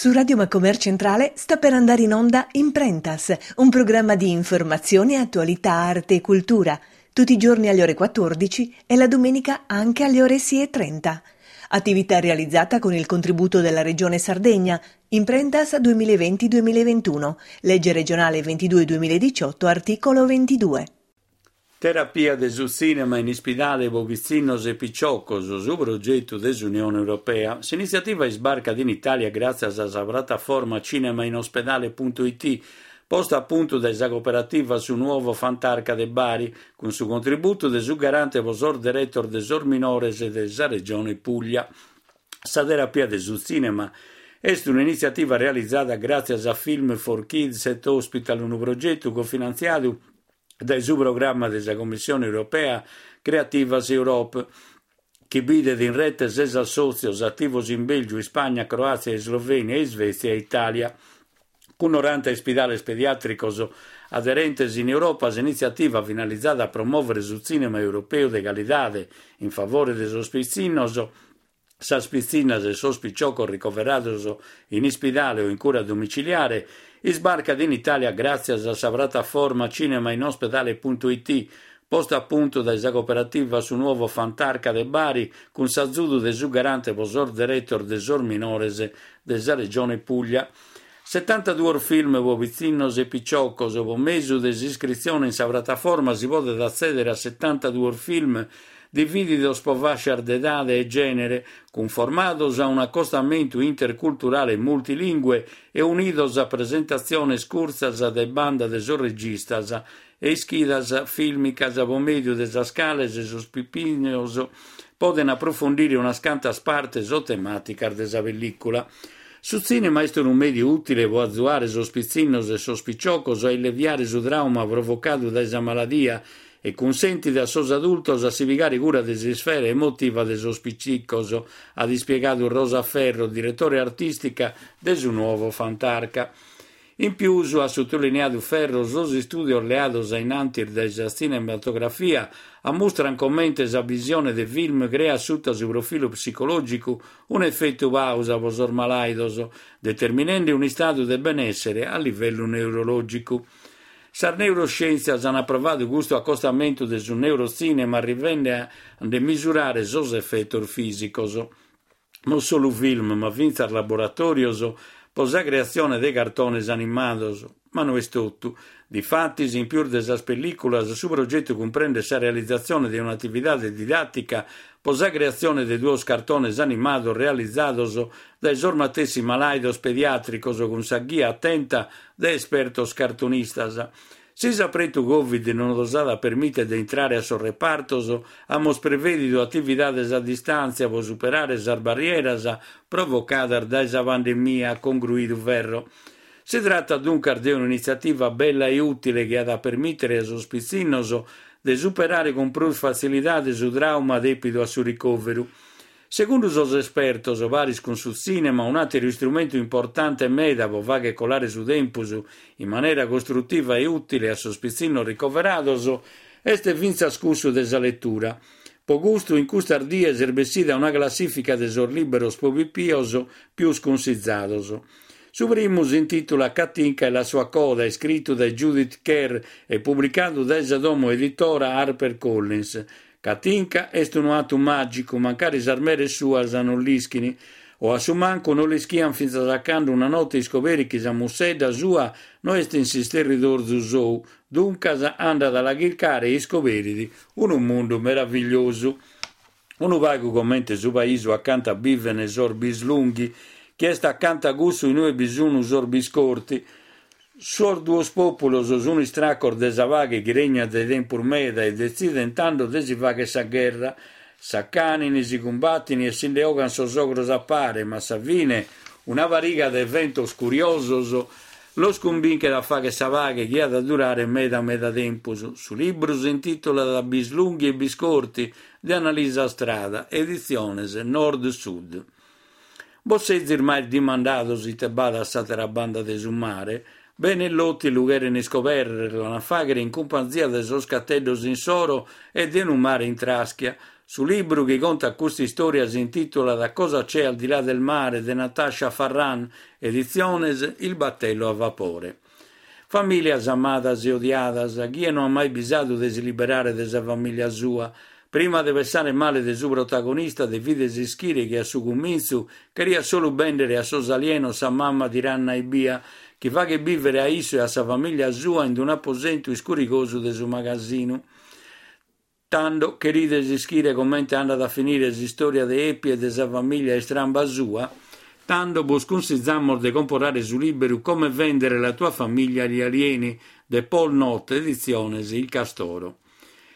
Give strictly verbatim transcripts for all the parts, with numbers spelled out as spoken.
Su Radio Macomer Centrale sta per andare in onda Imprentas, un programma di informazione, attualità, arte e cultura, tutti i giorni alle ore quattordici e la domenica anche alle ore sei e trenta. Attività realizzata con il contributo della Regione Sardegna, Imprentas duemilaventi duemilaventuno, legge regionale ventidue duemiladiciotto, articolo ventidue. Terapia de su tzìnema in ispidale pro pitzinnos e picioccos, su progetu de s'Unione Europea. S'initziativa isbarcat in Italia gràtzias a sa piattaforma cinemainospedale punto it, posta a puntu dae sa cooperativa Su Nuovo Fantarca de Bari, cun su contributu de su garante pro sos deretos de sos minores de sa Regione Puglia. Sa terapia de su tzìnema est un'initziativa realizada gràtzias a Film for Kids at Hospital, unu progetu cofinantziadu dae su programma de sa Commissione Europea Creativas Europe, chi bidet in rete ses assòtzios ativos in Bèlgiu, Ispagna, Croàtzia, Islovènia, Isvètzia e Itàlia. Cun noranta ispidales pediàtricos aderentes in Europa, s'initziativa finalizada a promòvere su tzìnema europeu de calidade in favore de sos pitzinnos, sas pitzinnas e sos piciocos ricoverados in ispidale o in cura domiciliare, isbarcat in Itàlia gràtzias a sa piattaforma cinemainospedale punto it, posta a puntu dae sa cooperativa Su Nuovo Fantarca de Bari, cun s'azudu de su garante pro sos deretos de sos minores de sa Regione Puglia. Setantaduos film pro pitzinnos e piciocos. Pro mesu de s'iscritzione in sa piattaforma si podet atzèdere a setantaduos film divididos pro fascias de edade e gènere, cunformados a un'acostamentu interculturale multilingue e unidos a presentatziones curtzas de banda de sos registas e ischidas fìlmicas pro mèdiu de sas cales sos pipinos poden aprofundire unas cantas partes o temàticas de sa pellìcula. Su tzìnema est unu mèdiu ùtile pro azuare sos pitzinnos e sos piciocos a illeviare su trauma provocadu dae sa maladia e cunsentit a sos adultos a si pigare cura de s'isfera emotiva de sos picicos, at ispiegadu Rosa Ferro, direttore artìstica de su Nuovo Fantarca. In pius, at sottolineadu Ferro, sos istùdios leados a in antis dae sa tzinematografia ammustran comente sa visione de film creat sutta su profilu psicològicu un'efetu pausa pro sos malàidos, determinende un'istadu de benèssere a livellu neurològicu. Sas neuroscièntzias ant aprovadu custu acostamentu de su neurotzinema arrivende a nde misurare sos efetos fìsicos. Non solu film, ma fintzas laboratòrios pro sa creatzione de cartones animados. Ma no est totu. Difatis, in pius de sas pellìculas, su progetu cumprendet sa realizatzione de un'atividade didàtica pro sa creatzione de duos cartones animados realizados dae sos matessi malàidos pediàtricos cun sa ghia atenta de espertos cartonistas. Si s'apretu Covid non nos at a permìtere de intrare a sos repartos, amus prevèdidu atividades a distàntzia pro superare sas barrieras provocadas dae sa pandemia, at congruidu Ferro. Si tratat duncas de un'initziativa bella e ùtile chi at a permìtere a sos pitzinnos de superare cun prus fatzilidade su trauma dèpidu a su ricòveru. Segundu sos espertos, paris cun su tzìnema, un'àteru istrumentu importante meda pro fàghere colare su tempus in manera costrutiva e ùtile a sos pitzinnos ricoverados est fintzas cussu de sa letura. Pro custu, in custas dies est bessida una classìfica de sos lìberos pro pipios pius cunsizados. Su primu si intitula Katinka e la sua coda, iscritu dae Judith Kerr e publicadu dae sa domo editora HarperCollins. Katinka est unu atu màgicu, mancari sas meres suas non l'ischini, o a su mancu non l'ischian fintzas a cando una note iscoberit chi sa mussedda sua no est in s'isterridorzu sou, duncas andat a la chircare e iscoberit unu mundu meravigliosu. Unu pagu comente su paisu acanta biven sos bislunghi, chi est acanta cussu inue bi sun sos biscorti. Sos duos pòpulos sun istracos de sa paghe chi regnat dae tempus meda e detziden tando de si fagher sa gherra. S'acanini, si cumbatini e si nde ogan sos ogros a pare, ma a sa fine una pariga de eventos curiosos los cumbinchet a fagher sa paghe chi at a durare meda meda tempus. Su libru si intitulat Bislunghi e Biscorti de Annalisa Strada, editziones Nord Sud. Bos sezis mai dimandados ite b'at a s'àtera banda de su mare? Bene e Loti lu cheren iscobèrrere, l'an a fàghere in cumpanzia de sos cateddos insoro e de unu mare in traschia. Su libru chi contat custa istòria si intìtulat Cosa c'è al di là del mare de Natasha Farran, editziones Il battello a vapore. Famìlias amadas e odiadas, chie no at mai bisadu de si liberare de sa famìlia sua. Prima de pensare male de su protagonista devides ischire chi a su cumintzu cheriat solu bèndere a sos alienos sa mama tiranna ebbia, chi faghet bìvere a issu e a sa famìlia sua in un'aposentu iscurigosu de su magasinu. Tando cherides ischire comente andat a finire s'istòria de Epi e de sa famìlia istramba sua? Tando bos cunsizamos de comporare su liberu Come vendere la tua famiglia agli alieni de Paul Noth, editziones Il Castoro.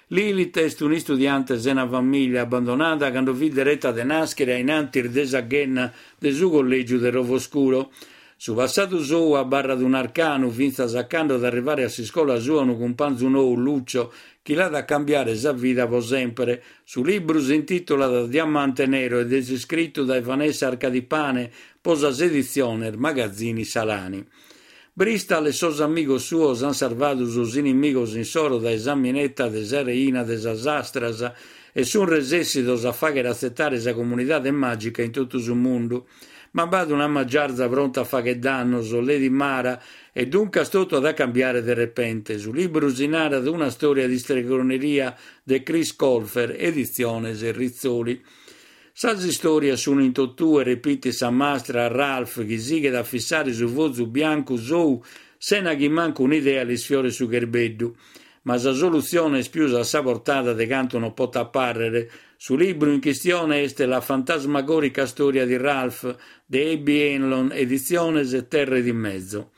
Lilith est un'istudiante sena famìlia abbandonada cando fit dereta de nàschere a in antis de sa ghenna de su collègiu de Rovoscuro. Su passadu sou abarrat un'arcanu fintzas a cando at arrivare a s'iscola sua unu cumpanzu nou, Lucio, chi l'at a cambiare sa vida pro semper. Su libru si intìtulat Diamante Nero ed est iscritu dae Vanessa Arcadipane pro sas editziones Magazzini Salani. Bristol e sos amigos suos ant sarvadu sos inimigos insoro dae sa mineta de sa reina de sas astras e sunt resessidos a fàghere atzetare sa comunidade màgica in totu su mundu. Ma b'at una magiarza pronta a fàghere dannos, Lady Mara, e duncas totu at a cambiare de repente. Su libru si narat Una storia di stregoneria de Chris Colfer, editziones Rizzoli. Sas istòrias sunt in totue, repitit sa mastra a Ralph, chi sighet a fissare su fozu biancu sou sena chi mancu un'idea l'isfioret su cherbeddu. Ma sa solutzione est pius a sa portada de cantu non potat pàrrere. Su libru in chistione est La fantasmagorica storia di Ralph de Abby Hanlon, editziones Terre di Mezzo.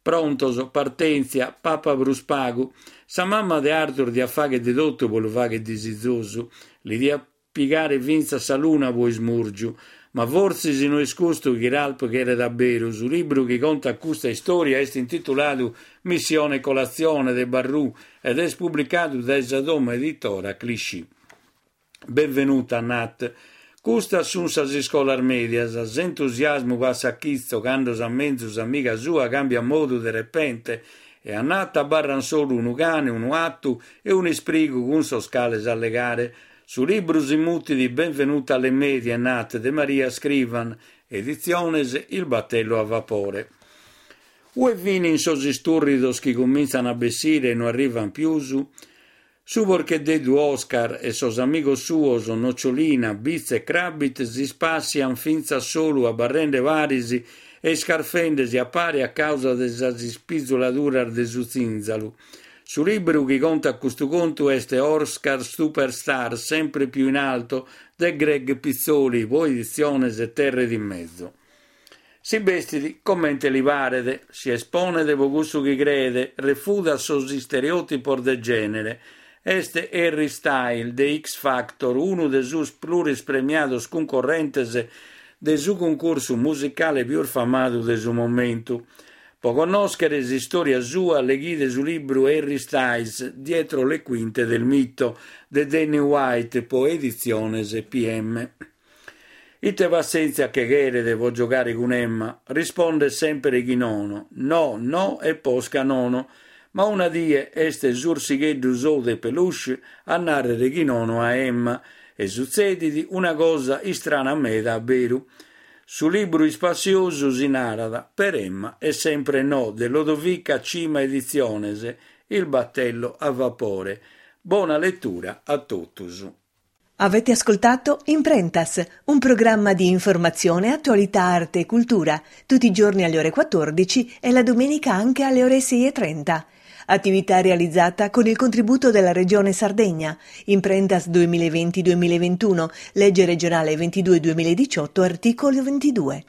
Prontos, partèntzia, papa prus pagu. Sa mama de Arthur diat fàghere de totu pro lu fàghere disizosu. Li diat pigare fintzas sa luna pro ismùrgiu. Ma fortzis no est custu chi Ralph cheret a beru. Su libru chi contat custa istòria est intituladu Missione Colazione de Barrù ed est publicadu dae sa domo editora Clichy. Benvenuta, Nat. Custas sunt sas iscolas mèdias. S'entusiasmu passat chitzo cando sa menzus amiga sua càmbiat modu de repente e a Nat abarran solu unu cane, unu 'atu e un'isprigu cun sos cales allegare. Su libru si mutit Benvenuta alle medie, Nat, de Maria Scrivan, editziones Il battello a vapore. Ue finin sos istùrridos chi comintzan a bessire e no arrivan pius? Su porcheddeddu Oscar e sos amigos suos Nocciolina, Bitz e Crabit s'ispassian fintzas solu abarrende paris e iscarfendesi a pare a causa de sas ispizuladuras de su zìnzalu. Su libru chi contat custu contu est Oscar Superstar, sempre più in alto, de Greg Pizzoli, pro editziones Terre di Mezzo. Si bestit comente li paret, si esponet pro cussu chi creet, refudat sos istereòtipos de gènere. Est Harry Styles de X Factor, unu de sos plurispremiados cuncorrentes de su cuncursu musicale pius famadu de su momentu. Pro connòschere s'istòria sua leghide su libru Harry Styles, Dietro le quinte del mito, de Danny White, pro editziones P M. Ite passèntzia che cheret pro giogare cun Emma? Rispondet sempre chi nono. No, no e posca nono. Ma una die est s'ursigheddu sou de peluche a nàrrere chi nono a Emma e sutzedit una cosa istrana meda a beru. Su libru ispassiosu si narat Per Emma è sempre no de Lodovica Cima Editziones, Il battello a vapore. Bona lettura a totus. Avete ascoltato Imprentas, un programma di informazione, attualità, arte e cultura, tutti i giorni alle ore quattordici e la domenica anche alle ore sei e trenta. Attività realizzata con il contributo della Regione Sardegna. Imprentas duemilaventi-duemilaventuno, legge regionale ventidue duemiladiciotto, articolo ventidue.